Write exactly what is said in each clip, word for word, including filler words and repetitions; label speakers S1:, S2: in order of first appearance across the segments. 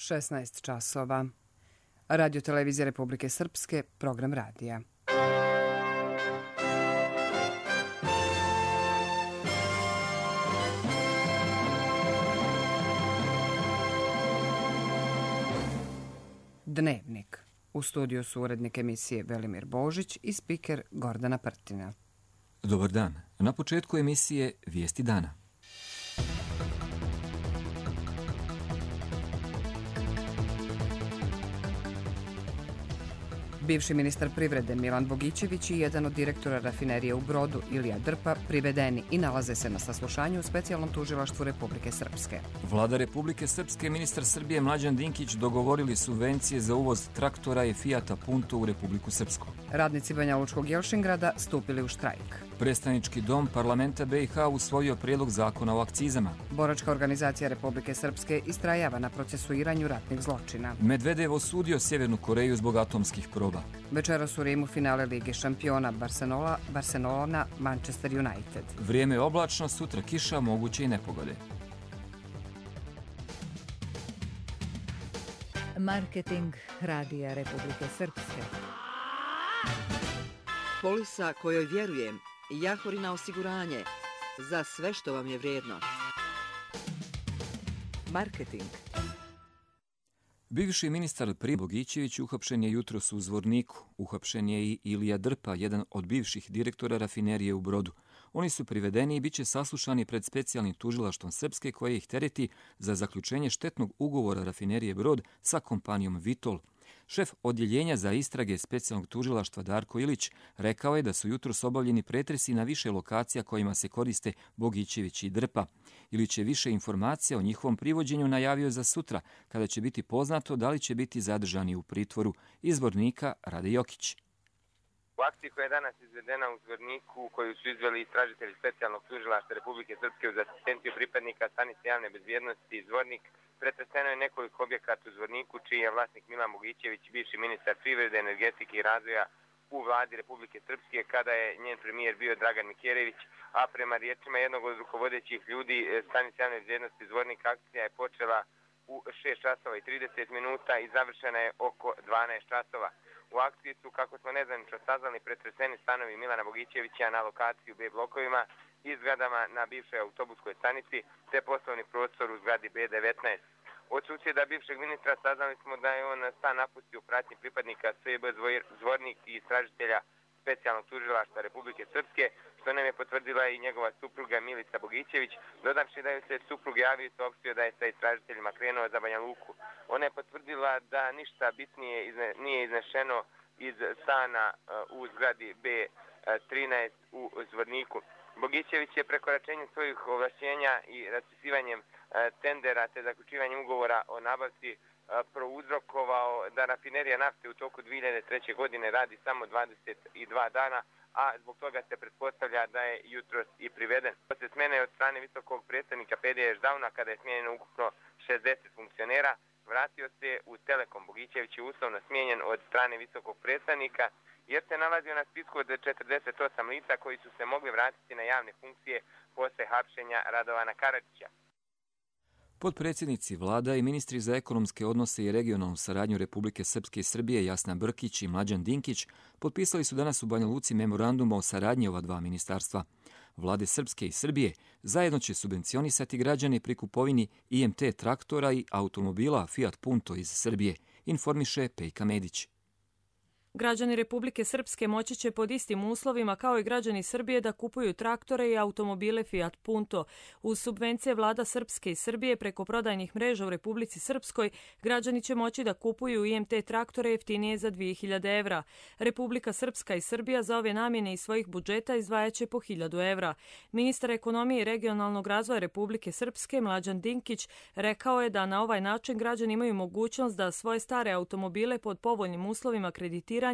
S1: šesnaest časova. Radio Televizija Republike Srpske, program radija. Dnevnik. U studiju su urednik emisije Velimir Božić i spiker Gordana Prtina.
S2: Dobar dan. Na početku emisije Vijesti dana.
S1: Bivši ministar privrede Milan Bogićević i jedan od direktora rafinerije u Brodu Ilija Drpa privedeni i nalaze se na saslušanju u specijalnom tužilaštvu Republike Srpske.
S2: Vlada Republike Srpske i ministar Srbije Mlađan Dinkić dogovorili subvencije za uvoz traktora i Fijata Punto u Republiku Srpsku.
S1: Radnici Banjalučkog Jelšingrada stupili u štrajk.
S2: Predstavnički dom parlamenta B i H usvojio prijedlog zakona o akcizama.
S1: Boračka organizacija Republike Srpske istrajava na procesuiranju ratnih zločina.
S2: Medvedev osudio Sjevernu Koreju zbog atomskih proba.
S1: Večeras u Rimu finale Lige šampiona Barcelona, Barcelona, Manchester United.
S2: Vrijeme je oblačno, sutra kiša, moguće i nepogode.
S3: Marketing Radija Republike Srpske.
S4: Polisa kojoj vjerujem, Jahorina osiguranje, za sve što vam je vrijedno. Marketing.
S2: Bivši ministar privrede Bogićević uhapšen je jutros u Zvorniku. Uhapšen je i Ilija Drpa, jedan od bivših direktora rafinerije u Brodu. Oni su privedeni i bit će saslušani pred specijalnim tužilaštvom Srpske koje ih tereti za zaključenje štetnog ugovora rafinerije Brod sa kompanijom Vitol. Šef odjeljenja za istrage specijalnog tužilaštva Darko Ilić rekao je da su jutros obavljeni pretresi na više lokacija kojima se koriste Bogićević i Drpa. Ilić je više informacija o njihovom privođenju najavio za sutra, kada će biti poznato da li će biti zadržani u pritvoru. Iz Zvornika Rade Jokić.
S5: U akciji koja je danas izvedena u Zvorniku, koju su izveli istražitelji specijalnog tužilaštva Republike Srpske uz asistenciju pripadnika stanice javne bezbjednosti Zvornik, pretreseno je nekoliko objekata u Zvorniku, čiji je vlasnik Milan Bogićević, bivši ministar privrede, energetike i razvoja u vladi Republike Srpske, kada je njen premijer bio Dragan Mikjerević, a prema riječima jednog od rukovodećih ljudi stanice javne bezbjednosti Zvornik, akcija je počela u šest časova i trideset minuta i završena je oko dvanaest časova. U akciji su, kako smo nezvanično saznali, pretreseni stanovi Milana Bogićevića na lokaciji u B blokovima i zgradama na bivšoj autobuskoj stanici, te poslovni prostor u zgradi B devetnaest. Od susjeda bivšeg ministra saznali smo da je on stan napustio u pratnji pripadnika S B Zvornik i istražitelja specijalnog tužilaštva Republike Srpske, što nam je potvrdila i njegova supruga Milica Bogićević, dodavši da je se suprug javio i saopštio da je sa istražiteljima krenuo za Banja Luku. Ona je potvrdila da ništa bitnije izne, nije iznešeno iz stana uh, u zgradi B trinaest u Zvorniku. Bogićević je prekoračenjem svojih ovlašćenja i raspisivanjem uh, tendera te zaključivanjem ugovora o nabavci uh, prouzrokovao da rafinerija nafte u toku dvije hiljade treće. godine radi samo dvadeset dva dana, a zbog toga se pretpostavlja da je jutros i priveden. Posle smjene od strane visokog predstavnika P D Ždavna, kada je smijenjeno ukupno šezdeset funkcionera, vratio se u Telekom. Bogićević je uslovno smijenjen od strane visokog predstavnika, jer se nalazio na spisku od četrdeset osam lica koji su se mogli vratiti na javne funkcije posle hapšenja Radovana Karadžića.
S2: Potpredsjednici vlada i ministri za ekonomske odnose i regionalnu saradnju Republike Srpske i Srbije Jasna Brkić i Mlađan Dinkić potpisali su danas u Banja Luci memorandum o saradnji ova dva ministarstva. Vlade Srpske i Srbije zajedno će subvencionisati građane pri kupovini I M T traktora i automobila Fiat Punto iz Srbije, informiše Pejka Medić.
S6: Građani Republike Srpske moći će pod istim uslovima kao i građani Srbije da kupuju traktore i automobile Fiat Punto. Uz subvencije vlada Srpske i Srbije preko prodajnih mreža u Republici Srpskoj, građani će moći da kupuju I M T traktore jeftinije za dvije hiljade evra. Republika Srpska i Srbija za ove namjene iz svojih budžeta izdvajaće po hiljadu evra. Ministar ekonomije i regionalnog razvoja Republike Srpske Mlađan Dinkić rekao je da na ovaj način građani imaju mogućnost da svoje stare automobile pod povoljnim uslovima kreditiranja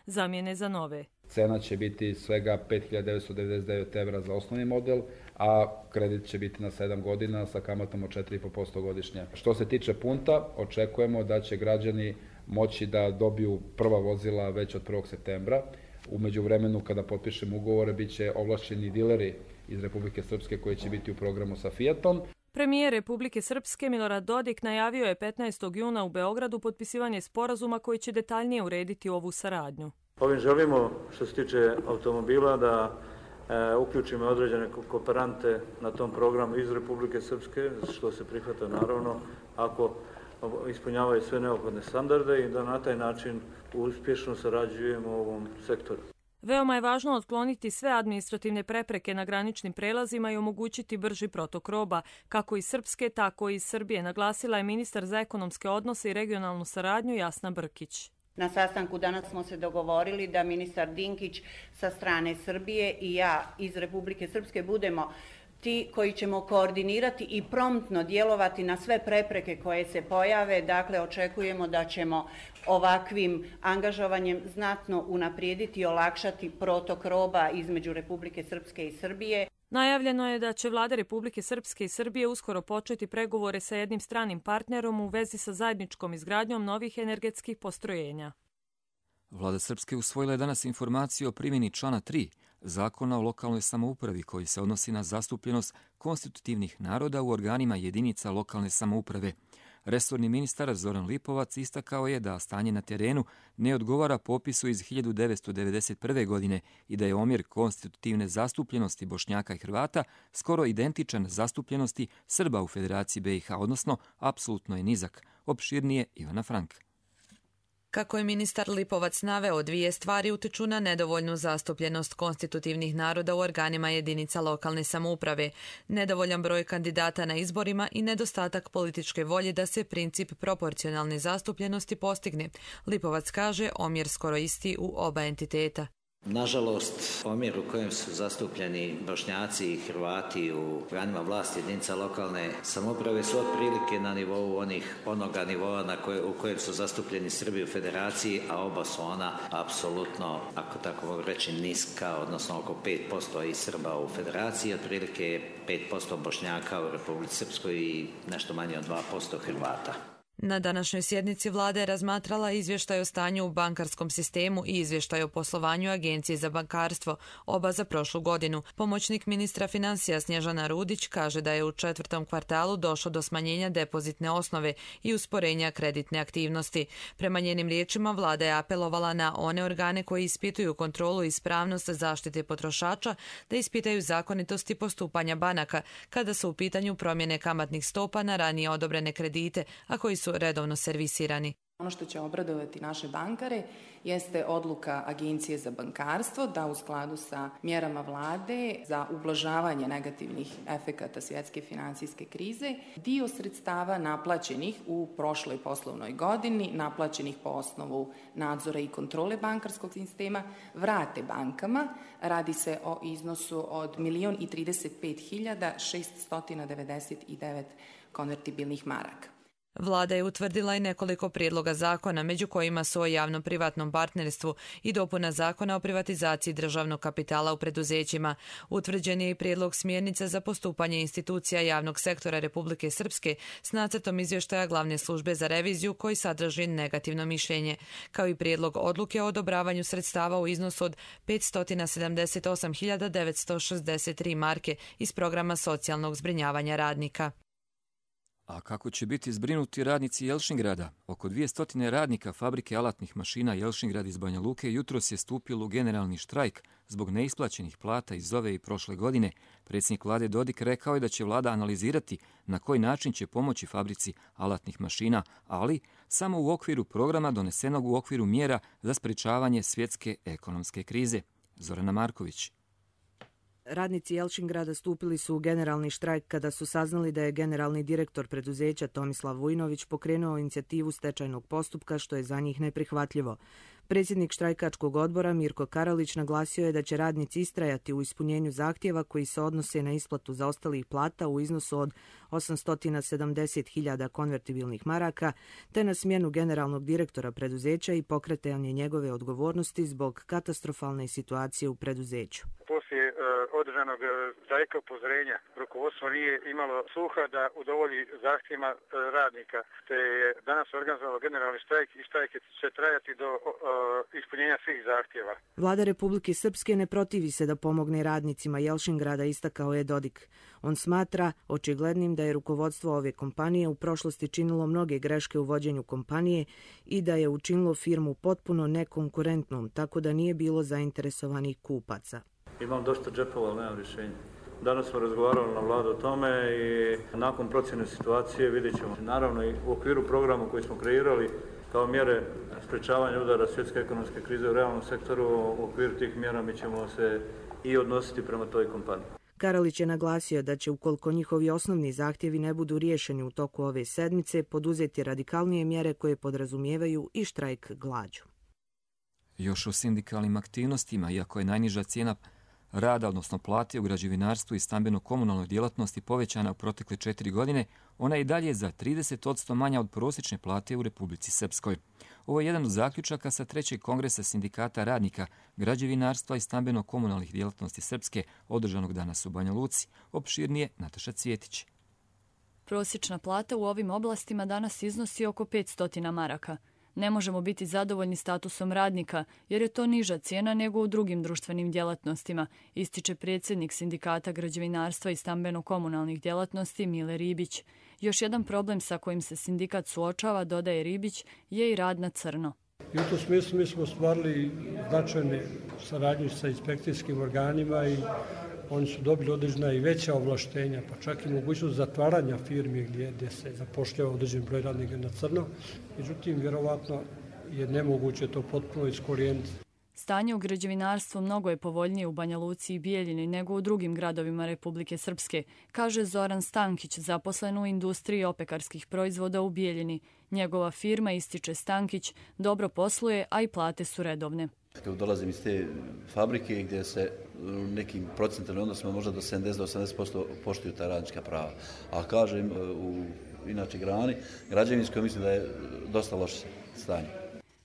S6: zamjene za nove.
S7: Cena će biti svega pet hiljada devetsto devedeset devet evra za osnovni model, a kredit će biti na sedam godina sa kamatom od četiri i po posto godišnje. Što se tiče Punta, očekujemo da će građani moći da dobiju prva vozila već od prvog septembra. U međuvremenu, kada potpišemo ugovore, bit će ovlašćeni dileri iz Republike Srpske koji će biti u programu sa Fiatom.
S6: Premijer Republike Srpske Milorad Dodik najavio je petnaestog juna u Beogradu potpisivanje sporazuma koji će detaljnije urediti ovu saradnju.
S8: Ovim želimo, što se tiče automobila, da e, uključimo određene kooperante na tom programu iz Republike Srpske, što se prihvata naravno ako ispunjavaju sve neophodne standarde i da na taj način uspješno sarađujemo u ovom sektoru.
S6: Veoma je važno otkloniti sve administrativne prepreke na graničnim prelazima i omogućiti brži protok roba, kako iz Srpske, tako i iz Srbije, naglasila je ministar za ekonomske odnose i regionalnu saradnju Jasna Brkić.
S9: Na sastanku danas smo se dogovorili da ministar Dinkić sa strane Srbije i ja iz Republike Srpske budemo ti koji ćemo koordinirati i promptno djelovati na sve prepreke koje se pojave. Dakle, očekujemo da ćemo ovakvim angažovanjem znatno unaprijediti i olakšati protok roba između Republike Srpske i Srbije.
S6: Najavljeno je da će vlade Republike Srpske i Srbije uskoro početi pregovore sa jednim stranim partnerom u vezi sa zajedničkom izgradnjom novih energetskih postrojenja.
S2: Vlada Srpske usvojila je danas informaciju o primjeni člana tri Zakona o lokalnoj samoupravi koji se odnosi na zastupljenost konstitutivnih naroda u organima jedinica lokalne samouprave. Resorni ministar Zoran Lipovac istakao je da stanje na terenu ne odgovara popisu iz hiljadu devetsto devedeset prve. godine i da je omjer konstitutivne zastupljenosti Bošnjaka i Hrvata skoro identičan zastupljenosti Srba u Federaciji be i ha, odnosno apsolutno je nizak. Opširnije Ivana Frank.
S10: Kako je ministar Lipovac naveo, dvije stvari utiču na nedovoljnu zastupljenost konstitutivnih naroda u organima jedinica lokalne samouprave, nedovoljan broj kandidata na izborima i nedostatak političke volje da se princip proporcionalne zastupljenosti postigne. Lipovac kaže omjer skoro isti u oba entiteta.
S11: Nažalost, omjer u kojem su zastupljeni Bošnjaci i Hrvati u organima vlasti jedinica lokalne samouprave su otprilike na nivou onih, onoga nivoa na koje, u kojem su zastupljeni Srbi u Federaciji, a oba su ona apsolutno, ako tako mogu reći, niska, odnosno oko pet posto i Srba u Federaciji, otprilike pet posto Bošnjaka u Republici Srpskoj i nešto manje od dva posto Hrvata.
S10: Na današnjoj sjednici vlada je razmatrala izvještaj o stanju u bankarskom sistemu i izvještaj o poslovanju Agencije za bankarstvo, oba za prošlu godinu. Pomoćnik ministra financija Snježana Rudić kaže da je u četvrtom kvartalu došlo do smanjenja depozitne osnove i usporenja kreditne aktivnosti. Prema njenim riječima, vlada je apelovala na one organe koji ispituju kontrolu i ispravnost zaštite potrošača da ispitaju zakonitosti postupanja banaka kada su u pitanju promjene kamatnih stopa na ranije odobrene kredite, a koji su redovno servisirani.
S12: Ono što će obradovati naše bankare jeste odluka Agencije za bankarstvo da u skladu sa mjerama vlade za ublažavanje negativnih efekata svjetske financijske krize dio sredstava naplaćenih u prošloj poslovnoj godini, naplaćenih po osnovu nadzora i kontrole bankarskog sistema, vrate bankama. Radi se o iznosu od milion i trideset pet hiljada šeststo devedeset devet konvertibilnih maraka.
S10: Vlada je utvrdila i nekoliko prijedloga zakona, među kojima su o javno-privatnom partnerstvu i dopuna zakona o privatizaciji državnog kapitala u preduzećima. Utvrđen je i prijedlog smjernica za postupanje institucija javnog sektora Republike Srpske s nacrtom izvještaja glavne službe za reviziju koji sadrži negativno mišljenje, kao i prijedlog odluke o odobravanju sredstava u iznosu od petsto sedamdeset osam hiljada devetsto šezdeset tri marke iz programa socijalnog zbrinjavanja radnika.
S2: A kako će biti zbrinuti radnici Jelšingrada? Oko dvjesto radnika fabrike alatnih mašina Jelšingrad iz Banja Luke jutros je stupilo u generalni štrajk zbog neisplaćenih plata iz ove i prošle godine. Predsjednik vlade Dodik rekao je da će vlada analizirati na koji način će pomoći fabrici alatnih mašina, ali samo u okviru programa donesenog u okviru mjera za sprečavanje svjetske ekonomske krize. Zorana Marković.
S13: Radnici Jelšingrada stupili su u generalni štrajk kada su saznali da je generalni direktor preduzeća Tomislav Vujnović pokrenuo inicijativu stečajnog postupka, što je za njih neprihvatljivo. Predsjednik štrajkačkog odbora Mirko Karalić naglasio je da će radnici istrajati u ispunjenju zahtjeva koji se odnose na isplatu zaostalih plata u iznosu od osamsto sedamdeset hiljada konvertibilnih maraka, te na smjenu generalnog direktora preduzeća i pokretanje njegove odgovornosti zbog katastrofalne situacije u preduzeću.
S14: Poslije poslije uh, održanog uh, štrajka upozorenja rukovodstvo nije imalo sluha da udovolji zahtjevima uh, radnika, te je danas organizovalo generalni štrajk i štrajk će trajati do uh, ispunjenja svih zahtjeva.
S13: Vlada Republike Srpske ne protivi se da pomogne radnicima Jelšingrada, istakao je Dodik. On smatra očiglednim da je rukovodstvo ove kompanije u prošlosti činilo mnoge greške u vođenju kompanije i da je učinilo firmu potpuno nekonkurentnom, tako da nije bilo zainteresovanih kupaca.
S8: Imam dosta džepova, ali nemam rješenja. Danas smo razgovarali na vladu o tome i nakon procjene situacije vidjet ćemo. Naravno i u okviru programa koji smo kreirali kao mjere sprečavanja udara svjetske ekonomske krize u realnom sektoru, u okviru tih mjera mi ćemo se i odnositi prema toj kompaniji.
S13: Karalić je naglasio da će, ukoliko njihovi osnovni zahtjevi ne budu riješeni u toku ove sedmice, poduzeti radikalnije mjere koje podrazumijevaju i štrajk glađu.
S2: Još o sindikalnim aktivnostima, iako je najniža cijena rada, odnosno plate u građevinarstvu i stambeno-komunalnoj djelatnosti povećana u protekle četiri godine, ona je i dalje za trideset posto manja od prosječne plate u Republici Srpskoj. Ovo je jedan od zaključaka sa trećeg kongresa sindikata radnika, građevinarstva i stambeno-komunalnih djelatnosti Srpske, održanog danas u Banja Luci. Opširnije Nataša Cvjetić.
S15: Prosječna plata u ovim oblastima danas iznosi oko petsto maraka. Ne možemo biti zadovoljni statusom radnika, jer je to niža cijena nego u drugim društvenim djelatnostima, ističe predsjednik sindikata građevinarstva i stambeno-komunalnih djelatnosti Mile Ribić. Još jedan problem sa kojim se sindikat suočava, dodaje Ribić, je i rad na crno.
S16: I u tom smislu mi smo ostvarili značajne saradnje sa inspekcijskim organima i oni su dobili određena i veća ovlaštenja, pa čak i mogućnost zatvaranja firmi gdje, gdje se zapošljava određen broj radnika na crno. Međutim, vjerovatno je nemoguće to potpuno iskorijeniti.
S15: Stanje u građevinarstvu mnogo je povoljnije u Banja Luci i Bijeljini nego u drugim gradovima Republike Srpske, kaže Zoran Stankić, zaposlen u industriji opekarskih proizvoda u Bijeljini. Njegova firma, ističe Stankić, dobro posluje, a i plate su redovne.
S17: Dolazim iz te fabrike gdje se nekim procentalnim odnosima možda do sedamdeset do osamdeset posto poštuju ta radnička prava. A kažem, u inače grani, građevinskoj mislim da je dosta loše stanje.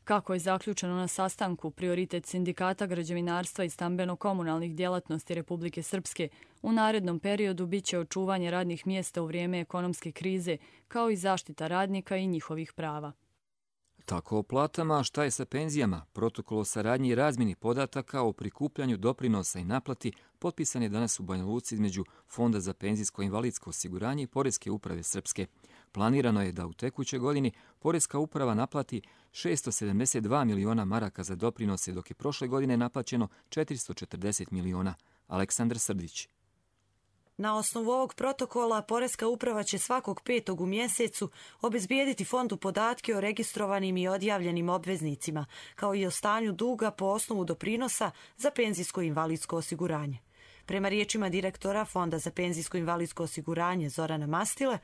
S15: Kako je zaključeno na sastanku, prioritet sindikata građevinarstva i stambeno-komunalnih djelatnosti Republike Srpske u narednom periodu biće očuvanje radnih mjesta u vrijeme ekonomske krize, kao i zaštita radnika i njihovih prava.
S2: Tako o platama, šta je sa penzijama? Protokol o saradnji i razmjeni podataka o prikupljanju doprinosa i naplati potpisan je danas u Banja Luci između Fonda za penzijsko i invalidsko osiguranje i Poreske uprave Srpske. Planirano je da u tekućoj godini Poreska uprava naplati šesto sedamdeset dva miliona maraka za doprinose, dok je prošle godine naplaćeno četiristo četrdeset miliona. Aleksandar Srdić.
S18: Na osnovu ovog protokola Poreska uprava će svakog petog u mjesecu obezbijediti fondu podatke o registrovanim i odjavljenim obveznicima, kao i o stanju duga po osnovu doprinosa za penzijsko i invalidsko osiguranje. Prema riječima direktora Fonda za penzijsko i invalidsko osiguranje Zorana Mastile,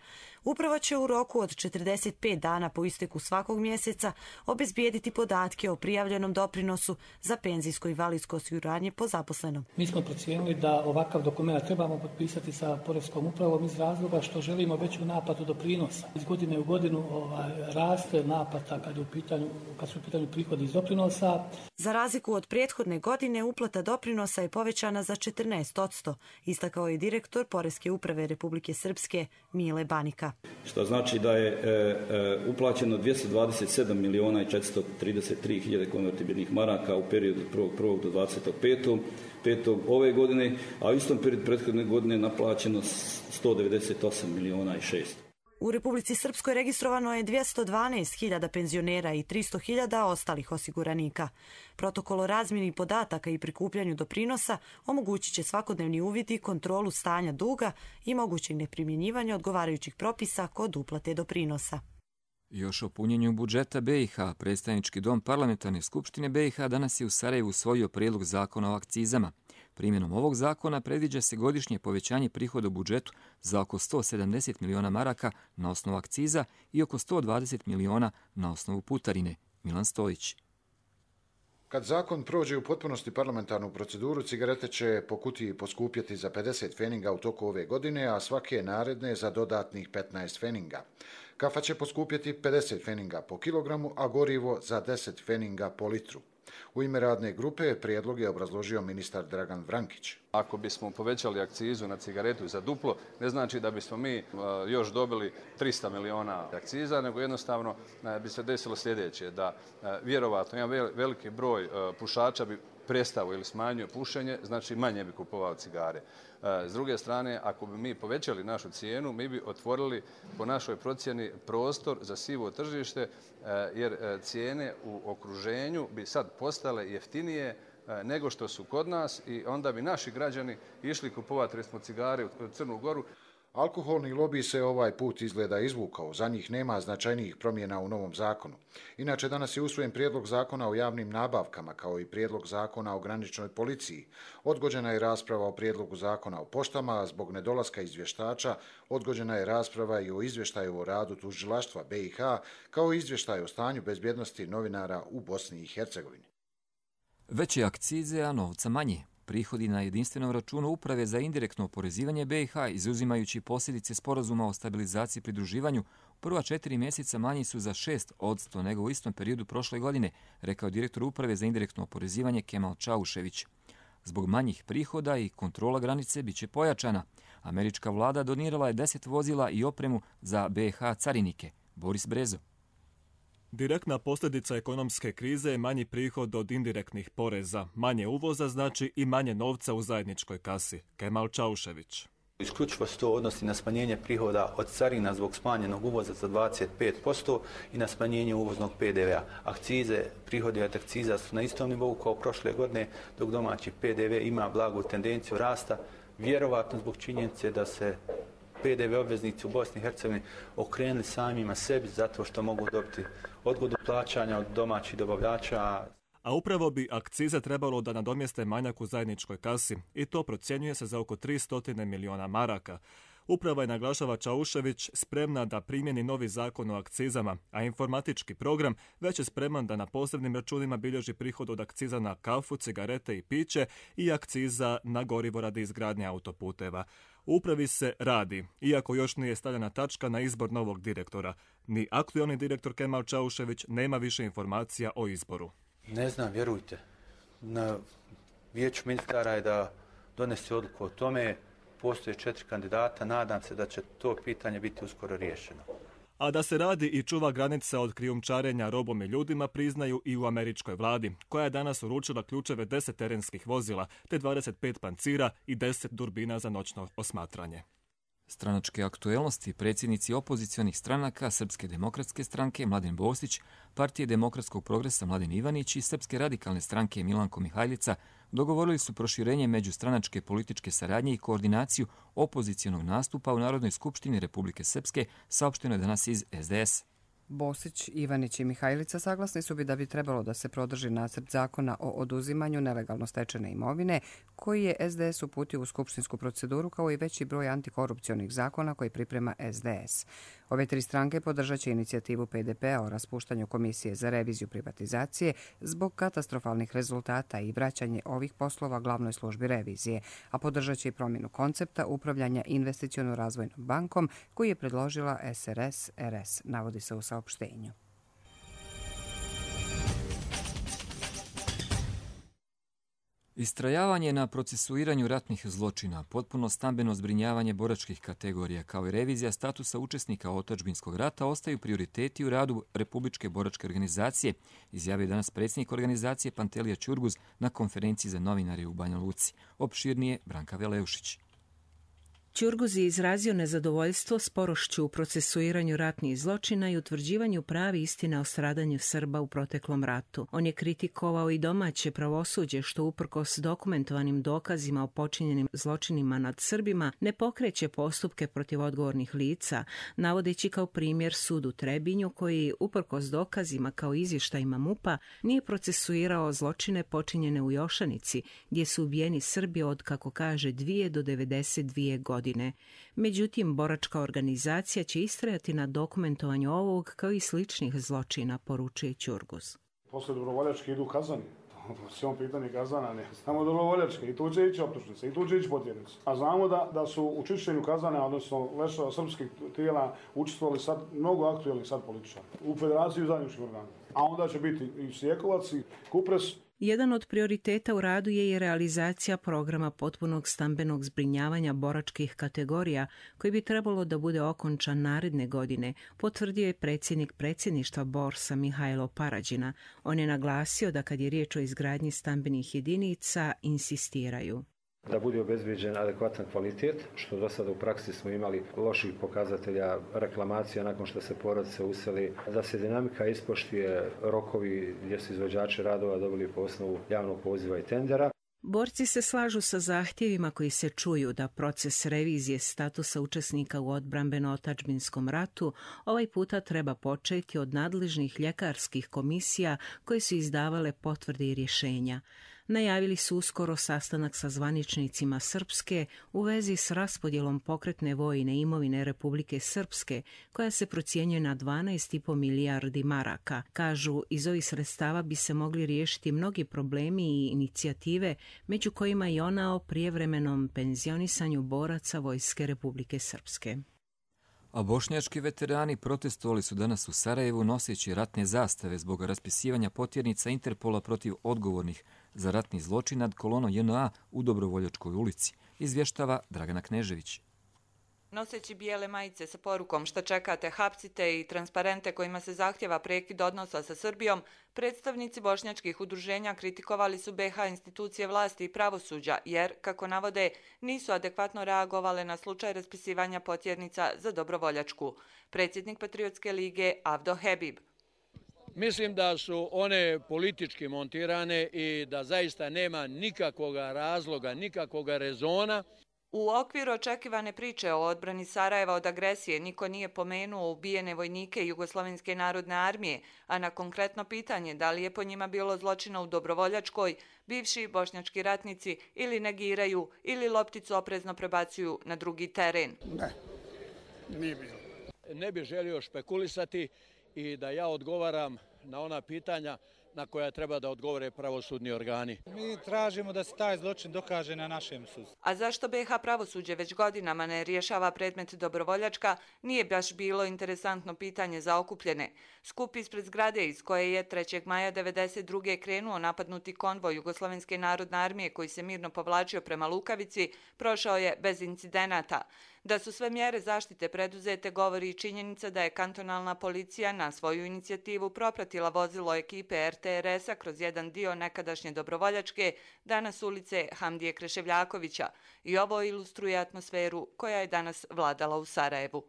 S18: uprava će u roku od četrdeset pet dana po isteku svakog mjeseca obezbijediti podatke o prijavljenom doprinosu za penzijsko i invalidsko osiguranje po zaposlenom.
S19: Mi smo procijenili da ovakav dokument trebamo potpisati sa Poreskom upravom iz razloga što želimo veću naplatu doprinosa. Iz godine u godinu ovaj, raste naplata kad, je u pitanju, kad su u pitanju prihodi iz doprinosa.
S18: Za razliku od prethodne godine, uplata doprinosa je povećana za četrnaest posto, istakao je direktor Poreske uprave Republike Srpske Mile Banika.
S20: Što znači da je e, e, uplaćeno dvjesto dvadeset sedam miliona i četiristo trideset tri hiljade konvertibilnih maraka u periodu od prvog prvog do dvadeset petog ove godine, a u istom periodu prethodne godine naplaćeno sto devedeset osam miliona i šesto.
S18: U Republici Srpskoj registrovano je dvjesto dvanaest hiljada penzionera i tristo hiljada ostalih osiguranika. Protokol o razmjeni podataka i prikupljanju doprinosa omogućit će svakodnevni uvid i kontrolu stanja duga i mogućeg neprimjenjivanja odgovarajućih propisa kod uplate doprinosa.
S2: Još o punjenju budžeta B i H, predstavnički dom Parlamentarne skupštine B i H danas je u Sarajevu usvojio prijedlog zakona o akcizama. Primjenom ovog zakona predviđa se godišnje povećanje prihoda u budžetu za oko sto sedamdeset miliona maraka na osnovu akciza i oko sto dvadeset miliona na osnovu putarine. Milan Stojić.
S21: Kad zakon prođe u potpunosti parlamentarnu proceduru, cigarete će po kutiji poskupjeti za pedeset feninga u toku ove godine, a svake naredne za dodatnih petnaest feninga. Kafa će poskupjeti pedeset feninga po kilogramu, a gorivo za deset feninga po litru. U ime radne grupe prijedlog je obrazložio ministar Dragan Vrankić.
S1: Ako bismo povećali akcizu na cigaretu za duplo, ne znači da bismo mi još dobili trista miliona akciza, nego jednostavno bi se desilo sljedeće, da vjerovatno jedan veliki broj pušača bi prestao ili smanjio pušenje, znači manje bi kupovao cigare. S druge strane, ako bi mi povećali našu cijenu, mi bi otvorili po našoj procjeni prostor za sivo tržište, jer cijene u okruženju bi sad postale jeftinije nego što su kod nas i onda bi naši građani išli kupovati recimo cigare u Crnu Goru.
S21: Alkoholni lobi se ovaj put izgleda izvukao, za njih nema značajnijih promjena u novom zakonu. Inače, danas je usvojen prijedlog zakona o javnim nabavkama, kao i prijedlog zakona o graničnoj policiji. Odgođena je rasprava o prijedlogu zakona o poštama, a zbog nedolaska izvještača odgođena je rasprava i o izvještaju o radu tužilaštva B i H, kao i izvještaj o stanju bezbjednosti novinara u Bosni i Hercegovini.
S2: Veće akcize, a novca manje. Prihodi na jedinstvenom računu Uprave za indirektno oporezivanje B i H, izuzimajući posljedice sporazuma o stabilizaciji i pridruživanju, prva četiri mjeseca manji su za šest posto nego u istom periodu prošle godine, rekao direktor Uprave za indirektno oporezivanje Kemal Čaušević. Zbog manjih prihoda i kontrola granice bit će pojačana. Američka vlada donirala je deset vozila i opremu za B i H carinike. Boris Brezo.
S22: Direktna posljedica ekonomske krize je manji prihod od indirektnih poreza. Manje uvoza znači i manje novca u zajedničkoj kasi. Kemal Čaušević.
S23: Isključivo se to odnosi na smanjenje prihoda od carina zbog smanjenog uvoza za dvadeset pet posto i na smanjenje uvoznog P D V-a. Akcize, prihodi od akciza su na istom nivou kao prošle godine, dok domaći P D V ima blagu tendenciju rasta, vjerovatno zbog činjenice da se P D V obveznici u Bosni i Hercegovini okrenuli samima sebi zato što mogu dobiti odgodu plaćanja od domaćih dobavljača.
S22: A upravo bi akcize trebalo da nadomjeste manjak u zajedničkoj kasi i to procjenjuje se za oko tristo miliona maraka. Uprava je, naglašava Čaušević, spremna da primjeni novi zakon o akcizama, a informatički program već je spreman da na posebnim računima bilježi prihod od akciza na kafu, cigarete i piće i akciza na gorivo radi izgradnje autoputeva. U upravi se radi, iako još nije stavljena tačka na izbor novog direktora. Ni aktualni direktor Kemal Čaušević nema više informacija o izboru.
S23: Ne znam, vjerujte. Na vijeću ministara je da donese odluku o tome. Postoje četiri kandidata, nadam se da će to pitanje biti uskoro riješeno.
S22: A da se radi i čuva granica od krijumčarenja robom i ljudima priznaju i u američkoj vladi, koja je danas uručila ključeve deset terenskih vozila, te dvadeset pet pancira i deset durbina za noćno osmatranje.
S2: Stranačke aktuelnosti predsjednici opozicionih stranaka Srpske demokratske stranke Mladen Bostić, Partije demokratskog progresa Mladen Ivanić i Srpske radikalne stranke Milanko Mihajlica dogovorili su proširenje međustranačke političke saradnje i koordinaciju opozicionog nastupa u Narodnoj skupštini Republike Srpske, saopšteno je danas iz S D S.
S24: Bosić, Ivanić i Mihajlica saglasni su bi da bi trebalo da se podrži nacrt zakona o oduzimanju nelegalno stečene imovine, koji je S D S uputio u skupštinsku proceduru, kao i veći broj antikorupcionih zakona koji priprema S D S. Ove tri stranke podržat će inicijativu P D P-a o raspuštanju Komisije za reviziju privatizacije zbog katastrofalnih rezultata i vraćanje ovih poslova glavnoj službi revizije, a podržat će i promjenu koncepta upravljanja investiciono-razvojnom bankom koji je predložila S R S R S, navodi se u saopštenju.
S2: Istrajavanje na procesuiranju ratnih zločina, potpuno stambeno zbrinjavanje boračkih kategorija kao i revizija statusa učesnika otadžbinskog rata ostaju prioriteti u radu Republičke boračke organizacije, izjavio danas predsjednik organizacije Pantelija Ćurguz na konferenciji za novinare u Banja Luci. Opširnije Branka Veleušić.
S25: Ćurguz je izrazio nezadovoljstvo sporošću u procesuiranju ratnih zločina i utvrđivanju pravi istine o stradanju Srba u proteklom ratu. On je kritikovao i domaće pravosuđe što uprkos dokumentovanim dokazima o počinjenim zločinima nad Srbima ne pokreće postupke protiv odgovornih lica, navodeći kao primjer sud u Trebinju koji uprkos dokazima kao izvještajima MUP-a nije procesuirao zločine počinjene u Jošanici gdje su ubijeni Srbi od, kako kaže, dvije do devedeset dvije godine. Međutim, boračka organizacija će istrajati na dokumentovanju ovog kao i sličnih zločina, poručuje Ćurguz.
S26: Posle dobrovoljačke idu kazani. Sve on pitanje kazana, ne samo dobrovoljačke. I tu će ići optužnice, i tu će ići potjernice. A znamo da, da su u čišćenju kazana, odnosno lešava srpskih tijela, učestvovali sad mnogo aktuelnih sad političara u Federaciji zajedničkih organa. a onda će biti i Sjekovac i Kupres.
S25: Jedan od prioriteta u radu je i realizacija programa potpunog stambenog zbrinjavanja boračkih kategorija koji bi trebalo da bude okončan naredne godine, potvrdio je predsjednik predsjedništva Borsa Mihajlo Parađina. On je naglasio da kad je riječ o izgradnji stambenih jedinica, insistiraju
S3: da bude obezbeđen adekvatan kvalitet, što do sada u praksi smo imali loših pokazatelja reklamacija nakon što se porodice useli, da se dinamika ispoštuje, rokovi gdje su izvođači radova dobili po osnovu javnog poziva i tendera.
S25: Borci se slažu sa zahtjevima koji se čuju da proces revizije statusa učesnika u odbrambeno-otadžbinskom ratu ovaj puta treba početi od nadležnih ljekarskih komisija koje su izdavale potvrde i rješenja. Najavili su uskoro sastanak sa zvaničnicima Srpske u vezi s raspodjelom pokretne vojne imovine Republike Srpske, koja se procjenjuje na dvanaest i po milijardi maraka. Kažu, iz ovih sredstava bi se mogli riješiti mnogi problemi i inicijative, među kojima i ona o prijevremenom penzionisanju boraca Vojske Republike Srpske.
S2: A bošnjački veterani protestovali su danas u Sarajevu noseći ratne zastave zbog raspisivanja potjernica Interpola protiv odgovornih za ratni zločin nad kolonom J N A u Dobrovoljačkoj ulici, izvještava Dragana Knežević.
S4: Noseći bijele majice sa porukom šta čekate, hapsite i transparente kojima se zahtjeva prekid odnosa sa Srbijom, predstavnici bošnjačkih udruženja kritikovali su B H institucije vlasti i pravosuđa jer, kako navode, nisu adekvatno reagovale na slučaj raspisivanja potjernica za Dobrovoljačku. Predsjednik Patriotske lige Avdo Hebib.
S5: Mislim da su one politički montirane i da zaista nema nikakvog razloga, nikakvog rezona.
S4: U okviru očekivane priče o odbrani Sarajeva od agresije niko nije pomenuo ubijene vojnike Jugoslovenske narodne armije, a na konkretno pitanje da li je po njima bilo zločina u Dobrovoljačkoj, bivši bošnjački ratnici ili negiraju ili lopticu oprezno prebacuju na drugi teren.
S5: Ne, nije bilo. Ne bih želio špekulisati i da ja odgovaram na ona pitanja na koja treba da odgovore pravosudni organi.
S6: Mi tražimo da se taj zločin dokaže na našem sudu.
S4: A zašto B H pravosuđe već godinama ne rješava predmet Dobrovoljačka, nije baš bilo interesantno pitanje za okupljene. Skup ispred zgrade iz koje je trećeg maja devedeset druge krenuo napadnuti konvoj Jugoslovenske narodne armije koji se mirno povlačio prema Lukavici, prošao je bez incidenata. Da su sve mjere zaštite preduzete govori i činjenica da je kantonalna policija na svoju inicijativu propratila vozilo ekipe R T R S-a kroz jedan dio nekadašnje Dobrovoljačke, danas ulice Hamdije Kreševljakovića. I ovo ilustruje atmosferu koja je danas vladala u Sarajevu.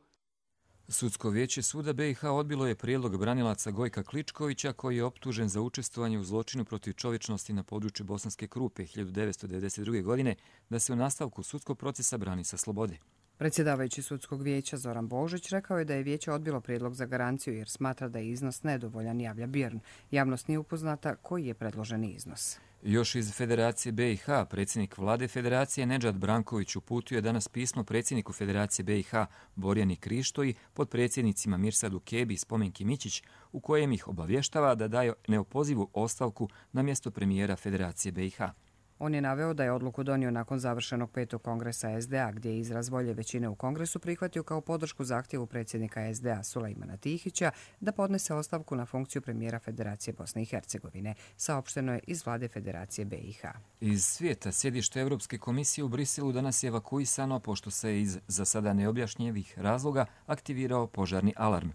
S2: Sudsko vijeće suda B i H odbilo je prijedlog branilaca Gojka Kličkovića koji je optužen za učestvovanje u zločinu protiv čovječnosti na području Bosanske Krupe hiljadu devetsto devedeset druge. godine da se u nastavku sudskog procesa brani sa slobode.
S24: Predsjedavajući sudskog vijeća Zoran Božić rekao je da je vijeće odbilo prijedlog za garanciju jer smatra da je iznos nedovoljan, javlja Björn. Javnost nije upoznata koji je predloženi iznos.
S2: Još iz Federacije B i H, predsjednik vlade Federacije Nedžad Branković uputio je danas pismo predsjedniku Federacije B i H Borjani Krištoji, podpredsjednicima Mirsadu Kebi i Spomenki Mićić, u kojem ih obavještava da daje neopozivu ostavku na mjesto premijera Federacije B i H.
S24: On je naveo da je odluku donio nakon završenog petog kongresa S D A, gdje je izraz volje većine u kongresu prihvatio kao podršku zahtjevu predsjednika S D A Sulejmana Tihića da podnese ostavku na funkciju premijera Federacije Bosne i Hercegovine, saopšteno je iz vlade Federacije B i H.
S2: Iz svijeta sjedište Europske komisije u Briselu danas je evakuisano pošto se iz za sada neobjašnjivih razloga aktivirao požarni alarm.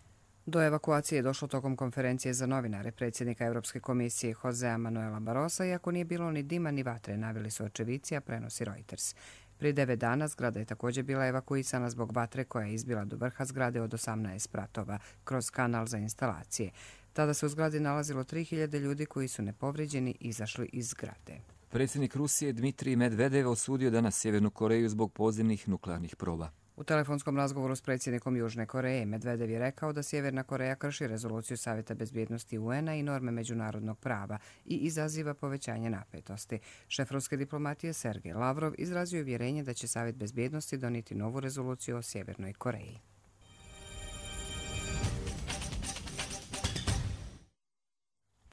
S24: Do evakuacije je došlo tokom konferencije za novinare predsjednika Europske komisije Josea Manuela Barrosa, iako nije bilo ni dima ni vatre, naveli su očevici, a prenosi Reuters. Prije devet dana zgrada je također bila evakuisana zbog vatre koja je izbila do vrha zgrade od osamnaest spratova kroz kanal za instalacije. Tada se u zgradi nalazilo tri hiljade ljudi koji su nepovrijeđeni izašli iz zgrade.
S2: Predsjednik Rusije Dmitrij Medvedev osudio danas Sjevernu Koreju zbog podzemnih nuklearnih proba.
S24: U telefonskom razgovoru s predsjednikom Južne Koreje Medvedev je rekao da Sjeverna Koreja krši rezoluciju Savjeta bezbjednosti U N-a i norme međunarodnog prava i izaziva povećanje napetosti. Šef ruske diplomatije Sergej Lavrov izrazio je uvjerenje da će Savjet bezbjednosti donijeti novu rezoluciju o Sjevernoj Koreji.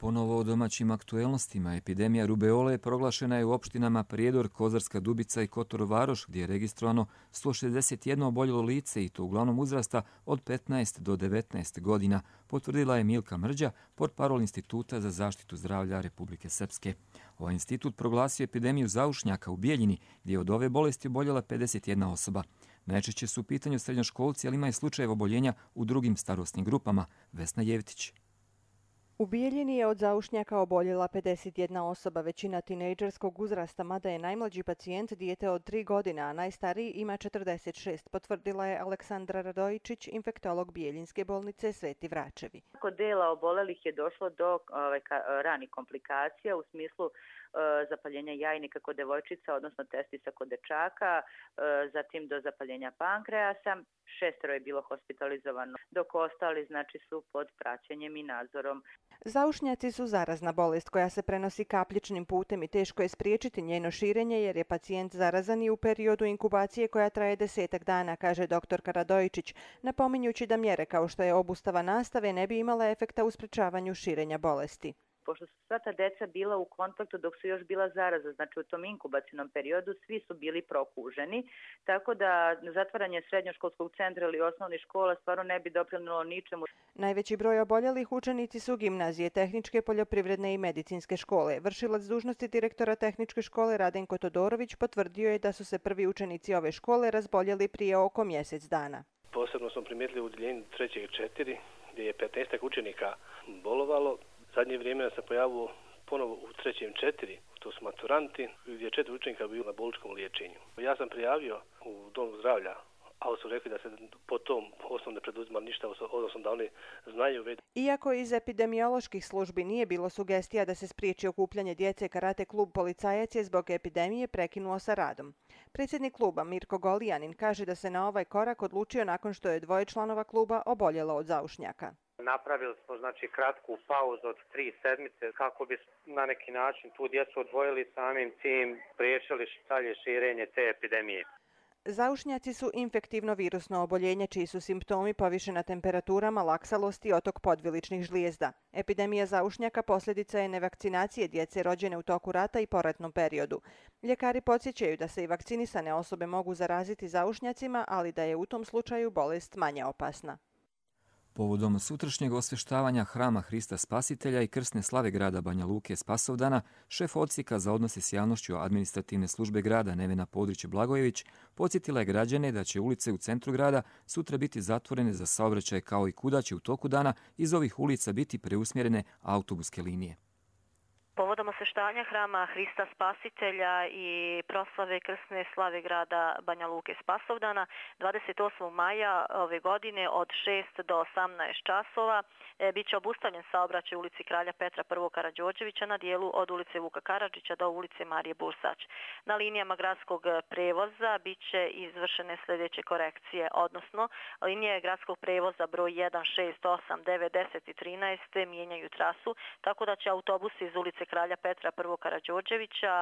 S2: Ponovo o domaćim aktuelnostima. Epidemija rubeole proglašena je u opštinama Prijedor, Kozarska Dubica i Kotor Varoš, gdje je registrovano sto šezdeset jedno oboljelo lice i to uglavnom uzrasta od petnaest do devetnaest godina, potvrdila je Milka Mrđa, portparol Instituta za zaštitu zdravlja Republike Srpske. Ovaj institut proglasio epidemiju zaušnjaka u Bijeljini, gdje je od ove bolesti oboljela pedeset jedna osoba. Najčešće su u pitanju srednjoškolci, ali ima i slučajeva oboljenja u drugim starosnim grupama. Vesna Jevtić.
S7: U Bijeljini je od zaušnjaka oboljela pedeset jedna osoba, većina tinejdžerskog uzrasta, mada je najmlađi pacijent dijete od tri godine, a najstariji ima četrdeset šest, potvrdila je Aleksandra Radojičić, infektolog Bijeljinske bolnice Sveti Vračevi.
S9: Kod dela obolelih je došlo do ovaj, ranih komplikacija u smislu zapaljenja jajnika kod devojčica, odnosno testisa kod dečaka, zatim do zapaljenja pankreasa. Šestero je bilo hospitalizovano, dok ostali znači su pod praćenjem i nadzorom.
S7: Zaušnjaci su zarazna bolest koja se prenosi kapljičnim putem i teško je spriječiti njeno širenje jer je pacijent zarazan i u periodu inkubacije koja traje desetak dana, kaže doktorka Radojičić, napominjući da mjere kao što je obustava nastave ne bi imale efekta u sprečavanju širenja bolesti.
S9: Pošto su sva ta deca bila u kontaktu dok su još bila zaraza, znači u tom inkubacijnom periodu svi su bili prokuženi, tako da zatvaranje srednjoškolskog centra ili osnovnih škola stvarno ne bi doprinijelo ničemu.
S7: Najveći broj oboljelih učenici su gimnazije, tehničke, poljoprivredne i medicinske škole. Vršilac dužnosti direktora tehničke škole Radenko Todorović potvrdio je da su se prvi učenici ove škole razboljeli prije oko mjesec dana.
S10: Posebno smo primijetili u udjeljenju trećeg četiri gdje je petnaest učenika bolovalo. Zadnje vrijeme se pojavilo ponovo u trećem četiri, to su maturanti, gdje je četiri učenika bilo na bolničkom liječenju. Ja sam prijavio u domu zdravlja, ali su rekli da se po tom osnovu ne preduzima ništa, odnosno da oni znaju već.
S7: Iako iz epidemioloških službi nije bilo sugestija da se spriječi okupljanje djece, karate klub Policajac je zbog epidemije prekinuo sa radom. Predsjednik kluba Mirko Golijanin kaže da se na ovaj korak odlučio nakon što je dvoje članova kluba oboljelo od zaušnjaka.
S11: Napravili smo znači kratku pauzu od tri sedmice kako bi na neki način tu djecu odvojili, samim tim spriječili dalje širenje te epidemije.
S7: Zaušnjaci su infektivno virusno oboljenje čiji su simptomi povišena temperatura, malaksalost i otok podviličnih žlijezda. Epidemija zaušnjaka posljedica je nevakcinacije djece rođene u toku rata i poratnom periodu. Ljekari podsjećaju da se i vakcinisane osobe mogu zaraziti zaušnjacima, ali da je u tom slučaju bolest manje opasna.
S2: Povodom sutrašnjeg osvještavanja Hrama Hrista Spasitelja i krsne slave grada Banja Luke Spasovdana, šef odsjeka za odnose s javnošću administrativne službe grada Nevena Podrić-Blagojević podsjetila je građane da će ulice u centru grada sutra biti zatvorene za saobraćaj kao i kuda će u toku dana iz ovih ulica biti preusmjerene autobuske linije.
S12: Povodom osvještavanja Hrama Hrista Spasitelja i proslave krsne slave grada Banja Luke Spasovdana dvadeset osmog maja ove godine od šest do osamnaest časova e, bit će obustavljen saobraćaj u ulici Kralja Petra I. Karađorđevića na dijelu od ulice Vuka Karadžića do ulice Marije Bursač. Na linijama gradskog prevoza bit će izvršene sljedeće korekcije, odnosno linije gradskog prevoza broj jedan, šest, osam, devet, deset i trinaest mijenjaju trasu, tako da će autobusi iz ulice Kralja Petra I. Karađorđevića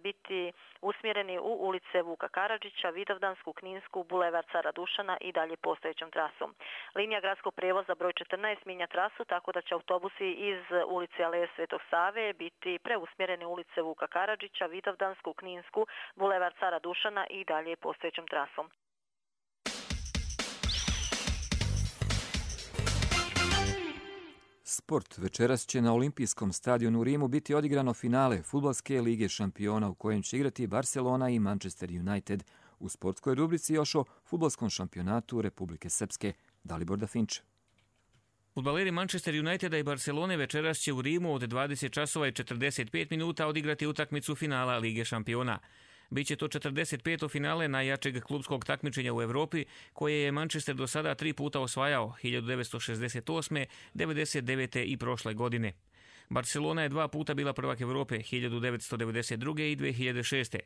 S12: biti usmjereni u ulice Vuka Karadžića, Vidovdansku, Kninsku, Bulevar Cara Dušana i dalje postojećom trasom. Linija gradskog prevoza broj četrnaest mijenja trasu tako da će autobusi iz ulice Aleje Svetog Save biti preusmjereni u ulice Vuka Karadžića, Vidovdansku, Kninsku, Bulevar Cara Dušana i dalje postojećom trasom.
S2: Sport. Večeras će na Olimpijskom stadionu u Rimu biti odigrano finale Fudbalske lige šampiona u kojem će igrati Barcelona i Manchester United. U sportskoj rubrici još o fudbalskom šampionatu Republike Srpske. Dalibor Dafinč.
S14: Fudbaleri Manchester Uniteda i Barcelone večeras će u Rimu od dvadeset časova i četrdeset pet minuta odigrati utakmicu finala Lige šampiona. Biće to četrdeset peto finale najjačeg klubskog takmičenja u Evropi, koje je Manchester do sada tri puta osvajao, hiljadu devetsto šezdeset osme, devedeset devete i prošle godine. Barcelona je dva puta bila prvak Evrope, hiljadu devetsto devedeset druge i dve hiljade šeste.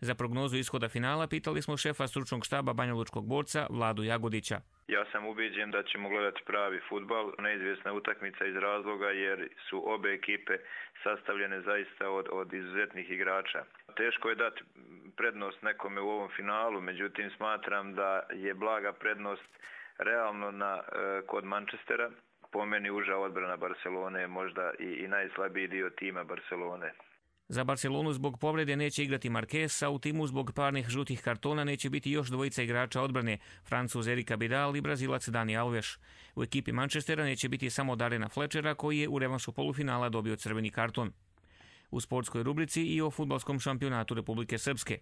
S14: Za prognozu ishoda finala pitali smo šefa stručnog štaba banjalučkog borca Vladu Jagodića.
S27: Ja sam ubeđen da ćemo gledati pravi fudbal, neizvjesna utakmica iz razloga jer su obe ekipe sastavljene zaista od, od izuzetnih igrača. Teško je dati prednost nekome u ovom finalu, međutim smatram da je blaga prednost realno na, kod Manchestera. po meni uža odbrana Barcelone je možda i, i najslabiji dio tima Barcelone.
S14: Za Barcelonu zbog povrede neće igrati Marquez, a u timu zbog parnih žutih kartona neće biti još dvojica igrača odbrane, Francuz Eric Abidal i Brazilac Dani Alves. U ekipi Manchestera neće biti samo Darena Fletchera, koji je u revanšu polufinala dobio crveni karton. U sportskoj rubrici i o fudbalskom šampionatu Republike Srpske.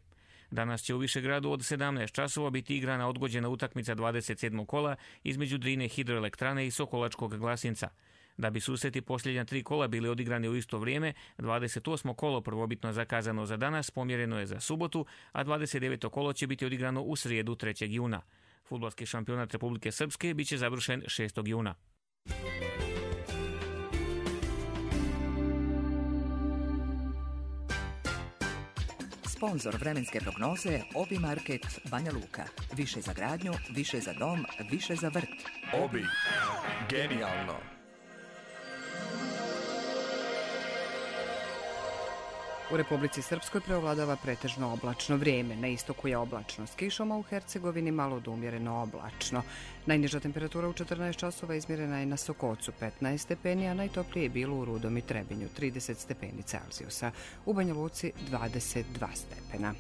S14: Danas će u Višegradu od sedamnaest časova biti igrana odgođena utakmica dvadeset sedmog kola između Drine hidroelektrane i Sokolačkog Glasinca. Da bi susreti posljednja tri kola bili odigrani u isto vrijeme, dvadeset osmo kolo prvobitno zakazano za danas pomjereno je za subotu, a dvadeset deveto kolo će biti odigrano u srijedu trećeg juna. Fudbalski šampionat Republike Srpske biće završen šestog juna.
S8: Sponzor vremenske prognoze Obi Market Banja Luka. Više za gradnju, više za dom, više za vrt.
S13: Obi. Genijalno.
S24: U Republici Srpskoj preovladava pretežno oblačno vrijeme. Na istoku je oblačno s kišom, a u Hercegovini malo do umjereno oblačno. Najniža temperatura u četrnaest časova izmjerena je na Sokocu petnaest stepeni, a najtoplije je bilo u Rudom i Trebinju trideset stepeni Celzijusa. U Banja Luci dvadeset dva stepena.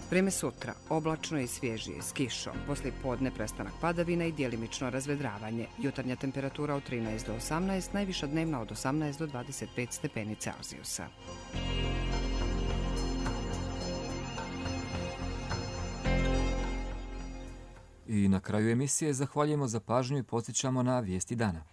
S24: Vrijeme sutra, oblačno i svježije s kišom, poslije podne prestanak padavina i djelimično razvedravanje. Jutarnja temperatura od trinaest do osamnaest, najviša dnevna od osamnaest do dvadeset pet stepeni Celzijusa.
S2: I na kraju emisije zahvaljujemo za pažnju i podsjećamo na vijesti dana.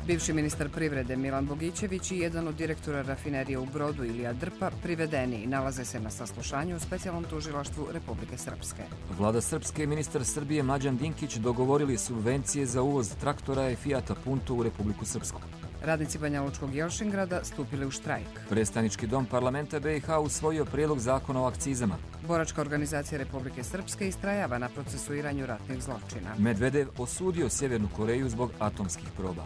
S24: Bivši ministar privrede Milan Bogićević i jedan od direktora rafinerije u Brodu Ilija Drpa privedeni nalaze se na saslušanju u specijalnom tužilaštvu Republike Srpske.
S2: Vlada Srpske i ministar Srbije Mlađan Dinkić dogovorili subvencije za uvoz traktora i Fijata Punto u Republiku Srpsku.
S24: Radnici Banja Lučkog Jelšingrada stupili u štrajk.
S2: Predstavnički dom parlamenta B i H usvojio prijedlog zakona o akcizama.
S24: Boračka organizacija Republike Srpske istrajava na procesuiranju ratnih zločina.
S2: Medvedev osudio Sjevernu Koreju zbog atomskih proba.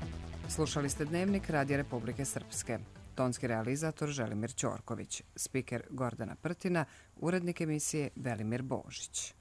S24: Slušali ste Dnevnik Radija Republike Srpske. Tonski realizator Želimir Ćorković, spiker Gordana Prtina, urednik emisije Velimir Božić.